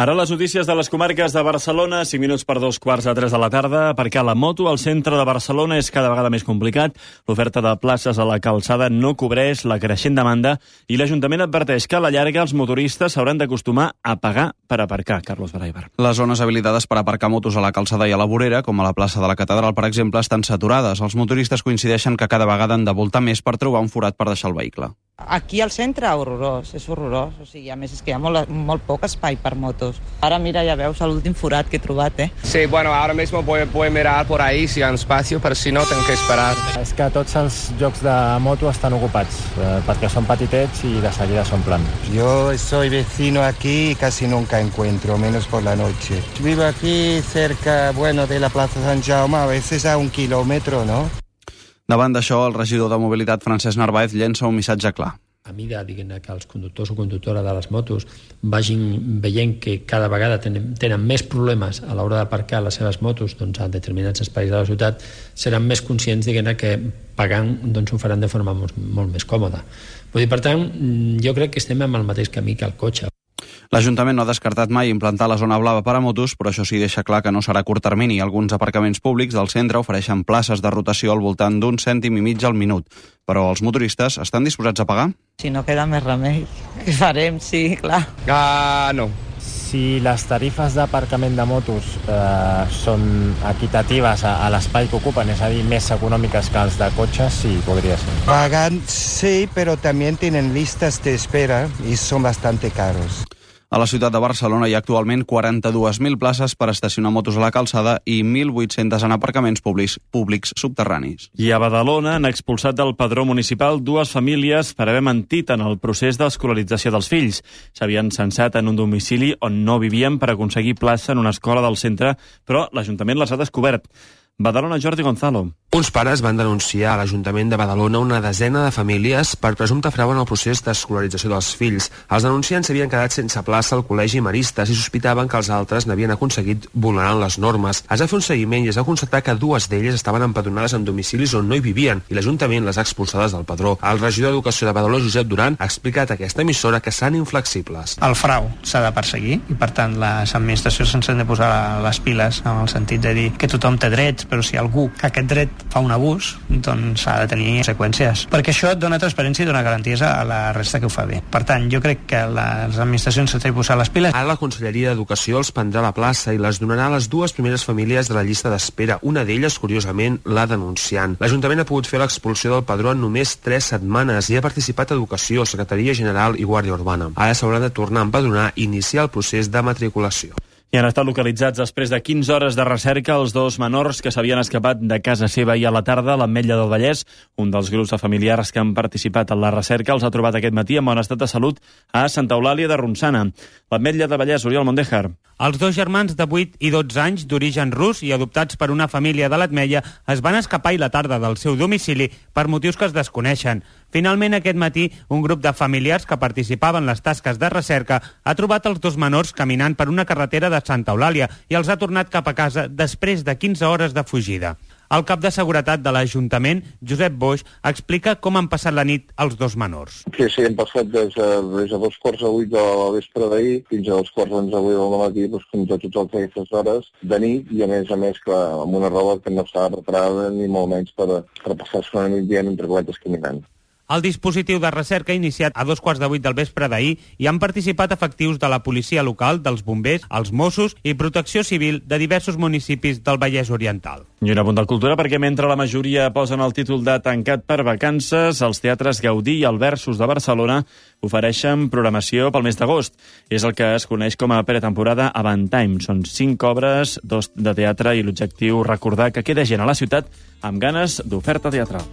Ara les notícies de les comarques de Barcelona, 5 minuts per 2:45 de la tarda. Aparcar la moto al centre de Barcelona és cada vegada més complicat. L'oferta de places a la calçada no cobreix la creixent demanda i l'Ajuntament adverteix que a la llarga els motoristes s'hauran d'acostumar a pagar per aparcar. Carlos Baraibar. Les zones habilitades per aparcar motos a la calçada i a la vorera, com a la plaça de la Catedral, per exemple, estan saturades. Els motoristes coincideixen que cada vegada han de voltar més per trobar un forat per deixar el vehicle. Aquí al centre, horrorós, és horrorós. O sigui, a més, és que hi ha molt poc espai per motos. Ara, mira, ja veus l'últim forat que he trobat, Sí, bueno, ahora mismo voy a mirar por ahí si hay espacio, pero si no, tengo que esperar. És que tots els llocs de moto estan ocupats, perquè són petitets i de seguida s'omplen. Yo soy vecino aquí y casi nunca encuentro, menos por la noche. Vivo aquí cerca, de la Plaza Sant Jaume, a veces a 1 kilómetro, ¿no? Davant d'això, el regidor de Mobilitat, Francesc Narváez, llença un missatge clar. A mesura que els conductors o conductores de les motos vagin veient que cada vegada tenen més problemes a l'hora d'aparcar les seves motos a determinats espais de la ciutat, seran més conscients que pagant ho faran de forma molt més còmoda. Per tant, jo crec que estem en el mateix camí que el cotxe. L'Ajuntament no ha descartat mai implantar la zona blava per a motos, però això sí deixa clar que no serà a curt termini. Alguns aparcaments públics del centre ofereixen places de rotació al voltant d'1,5 cèntim al minut. Però els motoristes estan disposats a pagar? Si no queda més remei, què farem? Sí, clar. No. Si les tarifes d'aparcament de motos són equitatives a l'espai que ocupen, és a dir, més econòmiques que els de cotxes, sí, podria ser. Pagan, sí, pero también tienen listas de espera y son bastante caros. A la ciutat de Barcelona hi ha actualment 42.000 places per estacionar motos a la calçada i 1.800 en aparcaments públics subterranis. I a Badalona han expulsat del padró municipal 2 famílies per haver mentit en el procés d'escolarització dels fills. S'havien censat en un domicili on no vivien per aconseguir plaça en una escola del centre, però l'Ajuntament les ha descobert. Badalona, Jordi Gonzalo. Uns pares van denunciar a l'Ajuntament de Badalona una desena de famílies per presumpte frau en el procés d'escolarització dels fills. Els denunciants s'havien quedat sense plaça al Col·legi Maristes i sospitaven que els altres n'havien aconseguit vulnerant les normes. Es va fer un seguiment i es va constatar que 2 d'elles estaven empadronades en domicilis on no hi vivien i l'Ajuntament les ha expulsades del padró. El regidor d'Educació de Badalona, Josep Duran, ha explicat a aquesta emissora que seran inflexibles. El frau s'ha de perseguir i, per tant, les administracions s'han de posar les piles en el sentit de dir que tothom té drets, però si algú que aquest dret fa un abús, doncs ha de tenir conseqüències. Perquè això dona transparència i dona garanties a la resta que ho fa bé. Per tant, jo crec que les administracions s'han de posar les piles. Ara la Conselleria d'Educació els prendrà la plaça i les donarà a les 2 primeres famílies de la llista d'espera. Una d'elles, curiosament, la denunciant. L'Ajuntament ha pogut fer l'expulsió del padró en només 3 setmanes i ha participat Educació, Secretaria General i Guàrdia Urbana. Ara s'hauran de tornar a empadronar i iniciar el procés de matriculació. I han estat localitzats després de 15 hores de recerca els 2 menors que s'havien escapat de casa seva ahir a la tarda a l'Ametlla del Vallès. Un dels grups de familiars que han participat en la recerca els ha trobat aquest matí en bon estat de salut a Santa Eulàlia de Ronçana. L'Ametlla del Vallès, Oriol Mondéjar. Els 2 germans de 8 i 12 anys d'origen rus i adoptats per una família de l'Ametlla es van escapar ahir la tarda del seu domicili per motius que es desconeixen. Finalment, aquest matí, un grup de familiars que participaven en les tasques de recerca ha trobat els 2 menors caminant per una carretera de Santa Eulàlia i els ha tornat cap a casa després de 15 hores de fugida. El cap de seguretat de l'Ajuntament, Josep Boix, explica com han passat la nit els 2 menors. Sí, hem passat des de 2:45 de la vespre d'ahir fins a 2:45 del matí, fins a totes aquestes hores de nit i a més, clar, amb una roba que no estava preparada ni molt menys per passar-se una nit dient entre coletes caminant. El dispositiu de recerca ha iniciat a 7:45 del vespre d'ahir i han participat efectius de la policia local, dels bombers, els Mossos i Protecció Civil de diversos municipis del Vallès Oriental. I un apunt de cultura, perquè mentre la majoria posen el títol de tancat per vacances, els teatres Gaudí i el Versus de Barcelona ofereixen programació pel mes d'agost. És el que es coneix com a pretemporada Avant Time. Són 5 obres, 2 de teatre i l'objectiu recordar que queda gent a la ciutat amb ganes d'oferta teatral.